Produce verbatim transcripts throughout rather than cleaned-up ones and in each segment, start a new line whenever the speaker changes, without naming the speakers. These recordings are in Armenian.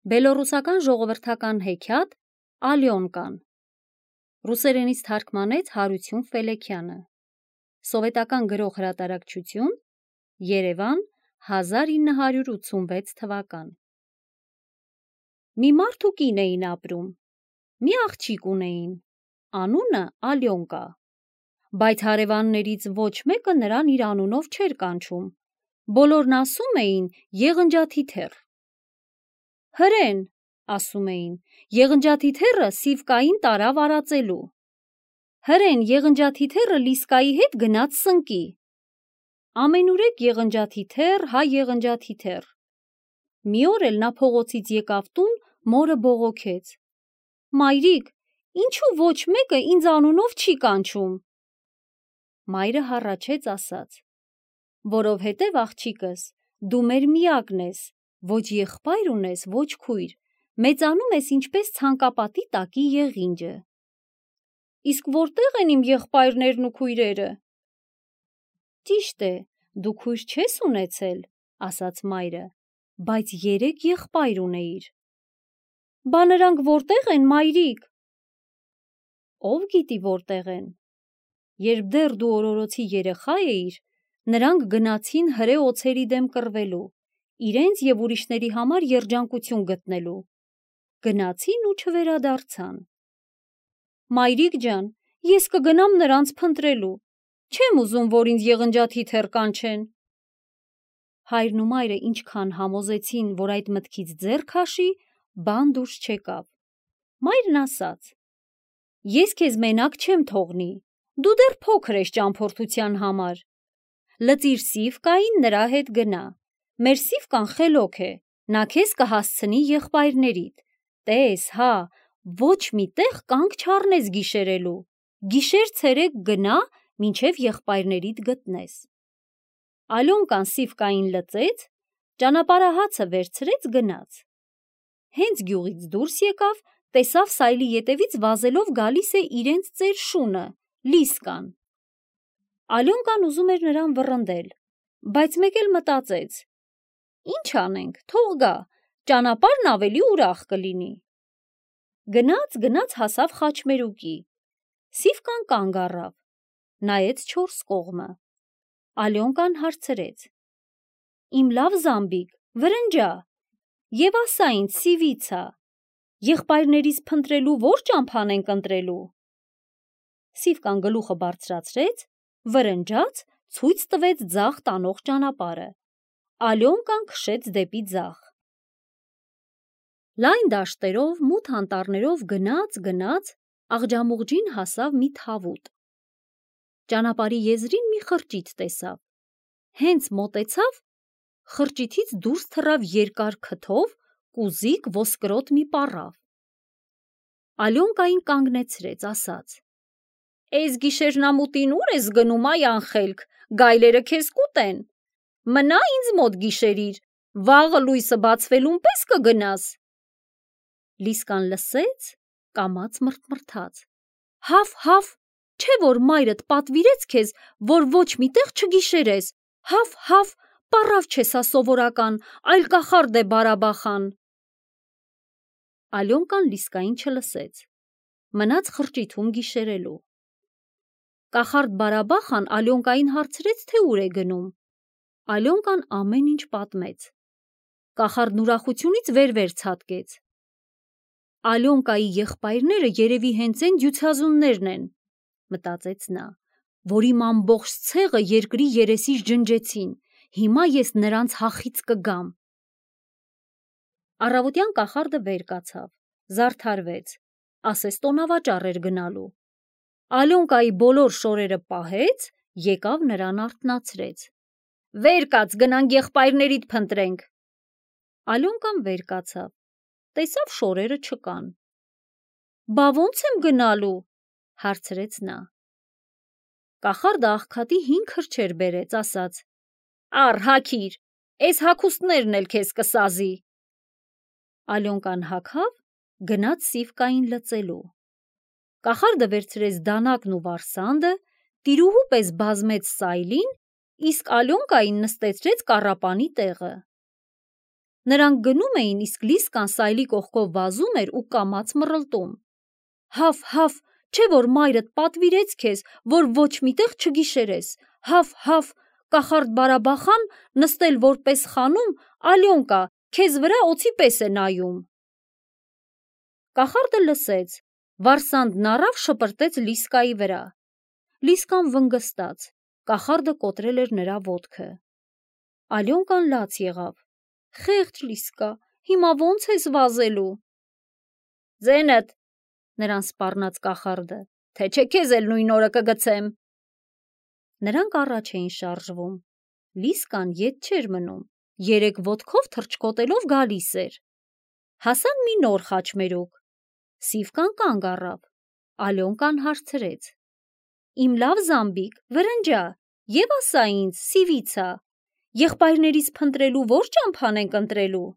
Բելոռուսական ժողովրդական հեքիաթ Ալյոնկան ռուսերենից թարգմանեց Հարություն Ֆելեքյանը Սովետական գրող հրատարակչություն Երևան հազար ինը հարյուր ութսունվեց թվական Մի մարդ ու կին էին ապրում մի աղջիկ ունեին անունը Ալյոնկա բայց հարևաններից ոչ մեկը նրան իր անունով չէր կանչում բոլորն ասում էին եղնջաթիթեռ Հրեն, ասում էին, եղնջաթիթեռը Սիվկային տարավ արածելու։ Հրեն, եղնջաթիթեռը Լիսկայի հետ գնաց սնկի։ Ամենուրեք եղնջաթիթեռ, հա եղնջաթիթեռ։ Մի օր էլ նա փողոցից եկավ տուն, մորը բողոքեց. Մայրիկ, ինչու ոչ մեկը ինձ անունով չի կանչում։ Մայրը հառաչեց ասաց. Որովհետև աղջիկս, դու մեր միակն ես, ոչ եղբայր ունես, ոչ քույր, մեծանում ես ինչպես ցանկապատի տակի եղինջը։ Իսկ որտեղ են իմ եղբայրներն ու քույրերը։ Ճիշտ է, դու քույր չես ունեցել, ասաց մայրը, բայց երեք եղբայր ունեիր։ Բա նրանք որտեղ են, մայրիկ։ Ով գիտի որտեղ են։ Երբ դեռ դու օրորոցի երեխա էիր, նրանք գնացին հրե օձերի դեմ կռվելու, իրենց և ուրիշների համար երջանկություն գտնելու։ Գնացին ու չվերադարձան։ Մայրիկ ջան, ես կգնամ նրանց փնտրելու, չեմ ուզում, որ ինձ եղնջաթիթեռ կանչեն։ Հայրն ու մայրը ինչքան համոզեցին, որ այդ մտքից ձեռ քաշի, բան դուրս չեկավ։ Մայրն ասաց. Ես քեզ մենակ չեմ թողնի, դու դեռ փոքր ես ճամփորդության համար։ Լծիր Սիվկային, նրա հետ գնա։ Մեր Սիվկան խելոք է, նա քեզ կհասցնի եղբայրներիդ։ Տես, հա, ոչ մի տեղ կանգ չառնես գիշերելու։ Գիշեր ցերեկ գնա, մինչև եղբայրներիդ գտնես։ Ալյոնկան Սիվկային լծեց, ճանապարհահացը վերցրեց գնաց։ Հենց գյուղից դուրս եկավ, տեսավ սայլի ետևից վազելով գալիս է իրենց ծեր շունը, Լիսկան։ Ալյոնկան ուզում էր նրան վռնդել, բայց մեկ էլ մտածեց. Ինչ անենք, թող գա, ճանապարհն ավելի ուրախ կլինի։ Գնաց, գնաց հասավ խաչմերուկի։ Սիվկան կանգ առավ, նայեց չորս կողմը։ Ալյոնկան հարցրեց. Իմ լավ զամբիկ, վրնջա, և ասա ինձ Սիվիցա, եղբայրներիս փնտրելու ո՞ր ճամփան ենք ընտրելու։ Սիվկան գլուխը բարձրացրեց, վրնջաց, ցույց տվեց ձախ տանող ճանապարհը։ Ալյոնկան քշեց դեպի ձախ։ Լայն դաշտերով, մութ անտառներով գնաց, գնաց, աղջամուղջին հասավ մի թավուտ։ Ճանապարհի եզրին մի խրճիթ տեսավ։ Հենց մոտեցավ, խրճիթից դուրս թռավ երկար քթով, կուզիկ ոսկրոտ մի պառավ։ Ալյոնկային կանգնեցրեց, ասաց. Էս գիշերնամուտին ուր ես գնում, այ անխելք, գայլերը քեզ կուտեն։ Մնա ինձ մոտ գիշերիր, վաղը լույսը բացվելուն պես կգնաս։ Լիսկան լսեց, կամաց մռթմռթաց. Հավ, հավ, չէ որ մայրդ պատվիրեց քեզ, որ ոչ մի տեղ չգիշերես, հավ, հավ, պառավ չէ սա սովորական, այլ կախարդ է բարաբախան։ Ալյոնկան Լիսկային չլսեց, մնաց խրճիթում գիշերելու։ Կախարդ բարաբախան Ալյոնկային հարցրեց, թե ուր է գնում։ Ալյոնկան ամեն ինչ պատմեց։ Կախարդն ուրախությունից վեր-վեր ցատկեց։ Ալյոնկայի եղբայրները երևի հենց են դյուցազուններն են, մտածեց նա, որ իմ ամբողջ ցեղը երկրի երեսից ջնջեցին, հիմա ես նրանց հախից կգամ։ Առավոտյան կախարդը վեր կացավ, զարդարվեց, ասես տոնավաճառ էր գնալու։ Ալյոնկայի բոլոր շորերը պահեց, եկավ նրան արթնացրեց։ Վեր կաց, գնանք եղբայրներիդ փնտրենք։ Ալյոնկան վեր կացավ, տեսավ շորերը չկան։ Բա ո՞նց եմ գնալու, հարցրեց նա։ Կախարդը աղքատի հինգ քրչեր բերեց, ասաց. Առ հագիր, էս հագուստներն էլ քեզ կսազի։ Ալյոնկան հագավ, գնաց Սիվկային լծելու։ Կախարդը վերցրեց դանակն ու վարսանդը, տիրուհու պես բազմեց սայլին, իսկ Ալյոնկային նստեցրեց կառապանի տեղը։ Նրանք գնում էին, իսկ Լիսկան սայլի կողքով վազում էր ու կամաց մռլտում։ Հաֆ, հաֆ, չէ որ մայրդ պատվիրեց քեզ, որ ոչ միտեղ չգիշերես։ Հաֆ, հաֆ, կախարդ Բարաբախան նստել որպես խանում, Ալյոնկա, քեզ վրա օձի պես է նայում։ Կախարդը լսեց, վարսանդն առավ շպրտեց Լիսկայի վրա։ Լիսկան վնգստաց, կախարդը կոտրել էր նրա ոտքը։ Ալյոնկան լաց եղավ։ Խեղճ Լիսկա, հիմա ո՞նց ես վազելու։ Ձենդ, նրան սպառնաց կախարդը, թե չէ քեզ էլ նույն օրը կգցեմ։ Նրանք առաջ էին շարժվում։ Լիսկան ետ չէր մնում, երեք ոտքով թռչկոտելով գալիս էր։ Հասան մի նոր խաչմերուկ։ Սիվկան կանգ առավ։ Ալյոնկան հարցրեց. Իմ լավ զամբիկ, վրնջա, եւ ասա ինձ, Սիվիցա, եղբայրներից փնտրելու ո՞ր ճամփան ենք ընտրելու։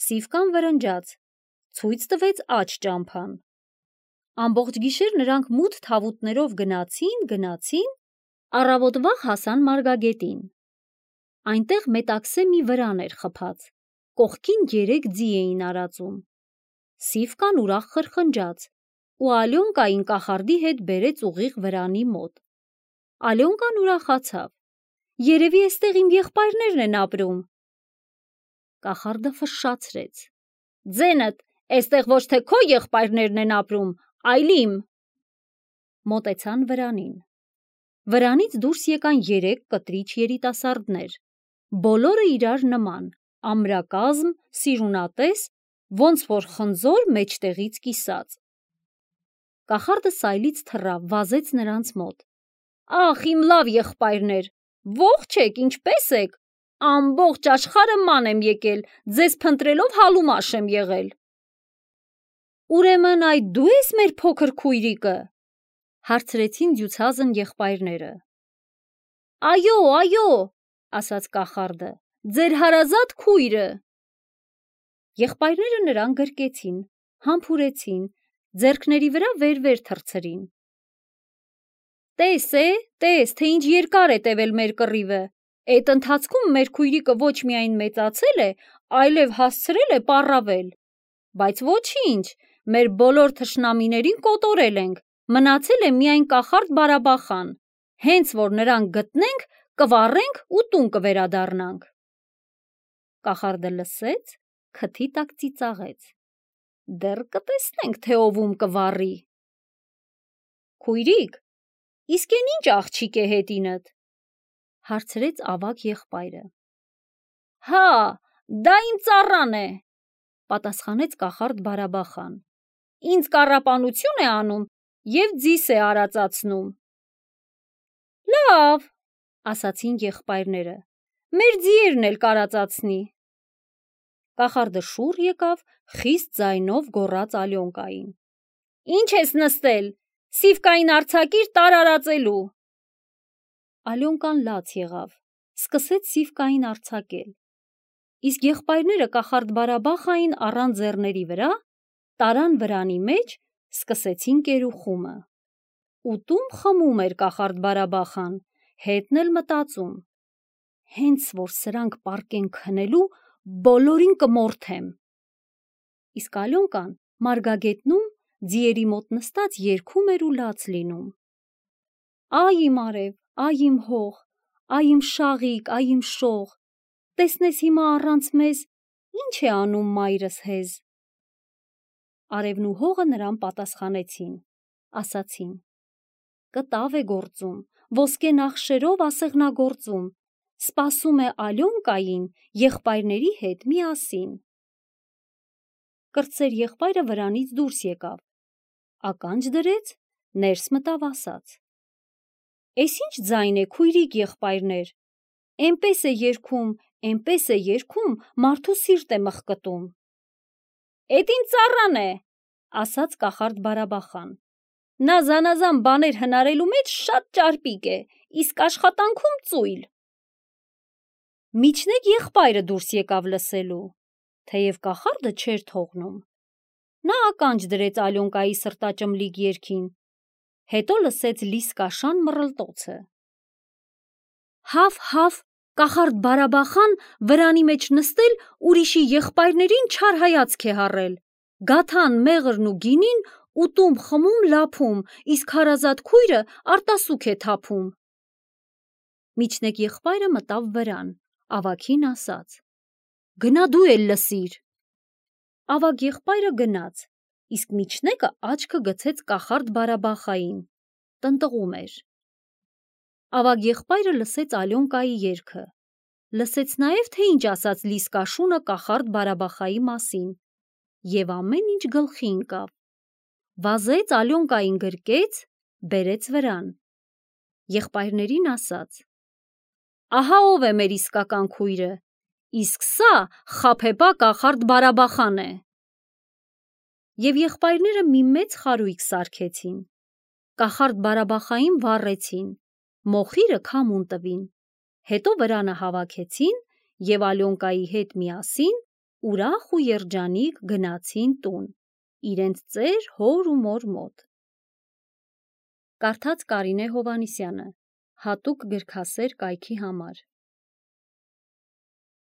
Սիվկան վրնջաց, ցույց տվեց աջ ճամփան։ Ամբողջ գիշեր նրանք մութ թավուտներով գնացին, գնացին, առավոտվա հասան մարգագետին։ Այնտեղ մետաքսե մի վրան էր խփած, կողքին երեք ձի էին արածում։ Սիվկան ուրախ խրխնջաց ու Ալյոնկային կախարդի հետ բերեց ուղիղ վրանի մոտ։ Ալյոնկան ուրախացավ։ Երևի էստեղ իմ եղբայրներն են ապրում։ Կախարդը ֆշշացրեց. Ձենդ, էստեղ ոչ թե քո եղբայրներն են ապրում, այլ իմ։ Մոտեցան վրանին։ Վրանից դուրս եկան երեք կտրիչ երիտասարդներ։ Բոլորը իրար նման, ամրակազմ, սիրունատես, ոնց որ խնձոր մեջտեղից կիսած։ Կախարդը սայլից թռավ, վազեց նրանց մոտ։ Ախ, իմ լավ եղբայրներ, ողջ եք, ինչպե՞ս եք։ Ամբողջ աշխարհը ման եմ եկել, ձեզ փնտրելով հալումաշ եմ եղել։ Ուրեմն այդ դու ես մեր փոքր քույրիկը, հարցրեցին դյուցազն եղբայրները։ Այո, այո, ասաց կախարդը, ձեր հարազատ քույրը։ Եղբայրները նրան գրկեցին, համբուրեցին, ձեռքների վրա վեր-վեր թռցրին։ Տես է, տես, թե ինչ երկար է տևել մեր կռիվը, այդ ընթացքում մեր քույրիկը ոչ միայն մեծացել է, այլև հասցրել է պառավել, բայց ոչինչ, մեր բոլոր թշնամիներին կոտորել ենք, մնացել է միայն կախարդ Բարաբախան, հենց որ նրան գտնենք, կվառենք ու տուն կվերադառնանք։ Կախարդը լսեց, քթի տակ ծիծաղեց։ Դեռ կտեսնենք, թե ովում կվառի։ Քույրիկ, իսկ են ինչ աղջիկ է հետինդ, հարցրեց ավագ եղբայրը։ Հա, դա իմ ծառան է, պատասխանեց կախարդ Բարաբախան։ Ինձ կառապանություն է անում և ձիս է արածացնում։ Լավ, ասացին եղբայրները, մեր ձիերն էլ կարածացնի։ Կախարդը շուռ եկավ, խիստ ձայնով գոռաց Ալյոնկային. Ինչ ես նստել, Սիվկային արձակիր տարարածելու։ Ալյոնկան լաց եղավ, սկսեց Սիվկային արձակել։ Իսկ եղբայրները կախարդ Բարաբախային առան ձեռների վրա, տարան վրանի մեջ, սկսեցին կերուխումը։ Ուտում խմում էր կախարդ Բարաբախան, հետն էլ մտածում. հենց որ սրանք պառկեն քնելու, բոլորին կմորթեմ։ Իսկ Ալյոնկան մարգագետնում ձիերի մոտ նստած երգում էր ու լաց լինում։ Այ իմ արև, այ իմ հող, այ իմ շաղիկ, այ իմ շող, տեսնես հիմա առանց մեզ ինչ է անում մայրս հեզ։ Արևն ու հողը նրան պատասխանեցին, ասացին. կտավ է գործում, ոսկե նախշերով ասեղնագործում, սպասում է Ալյոնկային եղբայրների հետ միասին։ Կրտսեր եղբայրը վրանից դուրս եկավ, ականջ դրեց, ներս մտավ ասաց. Էս ինչ ձայն է, քույրիկ եղբայրներ, էնպես է երգում, էնպես է երգում, մարդու սիրտ է մխկտում։ Էդ ինձ ծառան է, ասաց կախարդ Բարաբախան։ Նա զանազան բաներ հնարելու մեջ շատ ճարպիկ է, իսկ աշխատանքում ծույլ։ Միջնեկ եղբայրը դուրս եկավ լսելու, թեև կախարդը չէր թողնում։ Նա ականջ դրեց Ալյոնկայի սրտաճմլիկ երգին, հետո լսեց Լիսկաշան մռլտոցը։ Հաֆ, հաֆ, Կախարդ Բարաբախան վրանի մեջ նստել ուրիշի եղբայրներին չար հայացք է հառել, գաթան մեղրն ու գինին ուտում խմում լափում, իսկ հարազատ քույրը արտասուք է թափում։ Միջնեկ եղբայրը մտավ վրան, ավագին ասաց. «Գնա դու էլ լսիր»։ Ավագ եղբայրը գնաց, իսկ միջնեկը աչքը գցեց կախարդ Բարաբախային, տնտղում էր։ Ավագ եղբայրը լսեց Ալյոնկայի երգը, լսեց նաև, թե ինչ ասաց Լիսկա շունը կախարդ Բարաբախայի մասին, և ամեն ինչ գլխի ընկավ։ Վազեց Ալյոնկային գրկեց, բերեց վրան։ Եղբայրներին ասաց. «Ահա ով է մեր իսկական քույրը, իսկ սա խաբեբա կախարդ Բարաբախան է»։ Եվ եղբայրները մի մեծ խարույկ սարքեցին, կախարդ Բարաբախային վառեցին, մոխիրը քամուն տվին, հետո վրանը հավաքեցին և Ալյոնկայի հետ միասին ուրախ ու երջանիկ գնացին տուն, իրենց ծեր հոր ու մոր մոտ։ Կարդաց Կարինե Հովհաննիսյանը, հատուկ գրքասեր կայքի համար։